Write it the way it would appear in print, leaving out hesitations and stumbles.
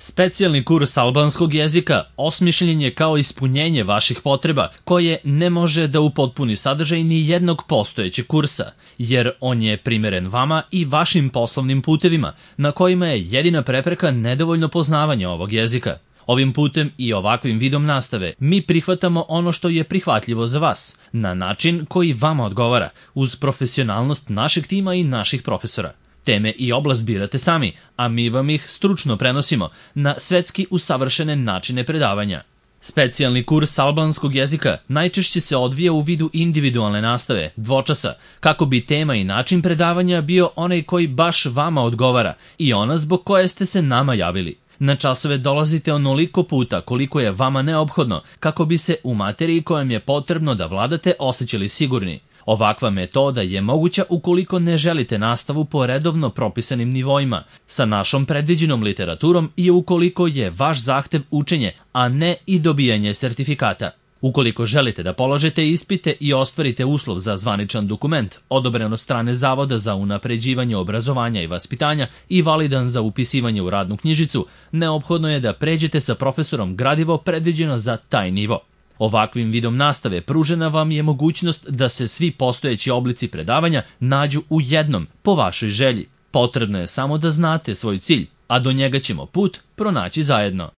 Specijalni kurs albanskog jezika osmišljen je kao ispunjenje vaših potreba, koje ne može da upotpuni sadržaj ni jednog postojećeg kursa, jer on je primeren vama i vašim poslovnim putevima, na kojima je jedina prepreka nedovoljno poznavanje ovog jezika. Ovim putem i ovakvim vidom nastave mi prihvatamo ono što je prihvatljivo za vas, na način koji vama odgovara, uz profesionalnost našeg tima i naših profesora. Teme i oblast birate sami, a mi vam ih stručno prenosimo na svetski usavršene načine predavanja. Specijalni kurs albanskog jezika najčešće se odvija u vidu individualne nastave, dvočasa, kako bi tema i način predavanja bio onaj koji baš vama odgovara i ona zbog koje ste se nama javili. Na časove dolazite onoliko puta koliko je vama neophodno kako bi se u materiji kojom je potrebno da vladate osjećali sigurni. Ovakva metoda je moguća ukoliko ne želite nastavu po redovno propisanim nivoima, sa našom predviđenom literaturom i ukoliko je vaš zahtev učenje, a ne i dobijanje sertifikata. Ukoliko želite da položite ispite i ostvarite uslov za zvaničan dokument, odobren od strane Zavoda za unapređivanje obrazovanja i vaspitanja i validan za upisivanje u radnu knjižicu, neophodno je da pređete sa profesorom gradivo predviđeno za taj nivo. Ovakvim vidom nastave pružena vam je mogućnost da se svi postojeći oblici predavanja nađu u jednom, po vašoj želji. Potrebno je samo da znate svoj cilj, a do njega ćemo put pronaći zajedno.